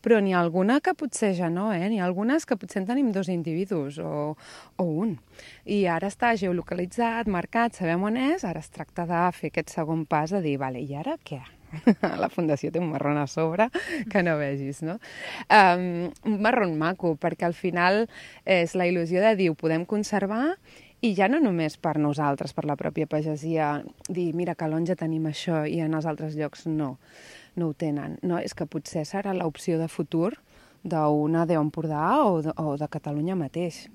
Però n'hi ha alguna que potser ja no, eh? N'hi ha algunes que potser en tenim 2 individus o un. I ara està geolocalitzat, marcat, sabem on és, ara es tracta de fer aquest segon pas de dir, vale, i ara què? La fundació té un marron a sobre que no vegis, no? Un marron maco, perquè al final és la il·lusió de dir, ho podem conservar i ja no només per nosaltres, per la pròpia pagesia, dir, mira, que a l'Onja tenim això i en els altres llocs no ho tenen. No, és que potser serà l'opció de futur d'una d'Empordà o de Catalunya mateix.